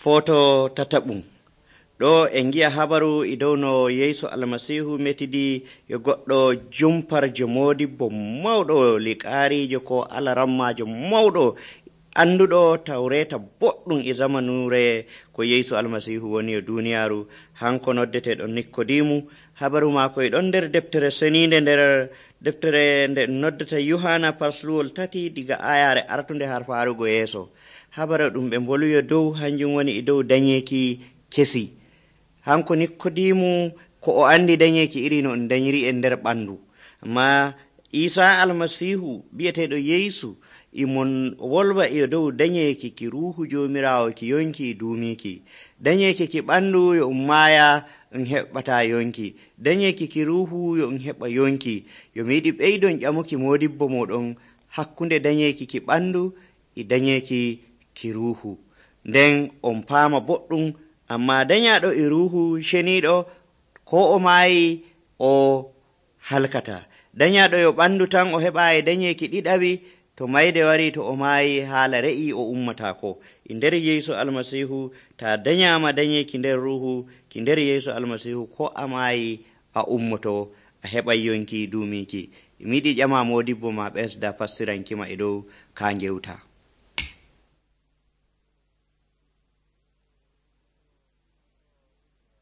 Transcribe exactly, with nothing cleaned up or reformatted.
Foto tataɓum ɗo en gi'a habaru e dow no Yeesu almasihu metidi e goɗɗo jumparjo modibbo mawɗo liqaarijo ko alarammajo mawɗo anduɗo tawreta boɗɗum e zamanure ko Yeesu almasihu woni e duniyaaru. Hanko noddeteɗo Nikodimu. Habaru maako e ɗon nder deftere seninde, nder deftere nde noddata Yohana pasluwol tati diga ayare artunde har farugo yeeso. Habaru ɗum ɓe mboluyo dow hanjum woni e dow dañeki kesi. Hanko Nikodimu ko o andi dañeki iri no on dañiri e nder ɓandu, amma Isa almasihu bi'eteɗo Yeesu imon wolwa e dow dañeki ki ruhu jomirawo ki yonki duumiki. Dañeki ki ɓandu yo um maaya on heɓata yonki, dañeki ki ruhu yo on heɓa yonki. Yo mi yiɗi ɓeydon ƴamuki modibbo moɗon hakkunde dañeki ki ɓandu e dañeki ki ruhu, nden on paama boɗɗum. Amma dañaɗo e ruhu ceniɗo ko o maayi o halkata. Dañaɗo yo ɓandu tan o heɓa e dañeki ɗiɗaɓi, to mayde wari to o maayi haala re'i o ummatako. E nder Yeesu almasihu ta dañama dañeki nder ruhu ki nder Yeesu almasihu, ko a maayi a ummoto a heɓa yonki duumiki. Mi yiɗi ƴama modibbo ma ɓesda pastirankima e dow ka ngewta.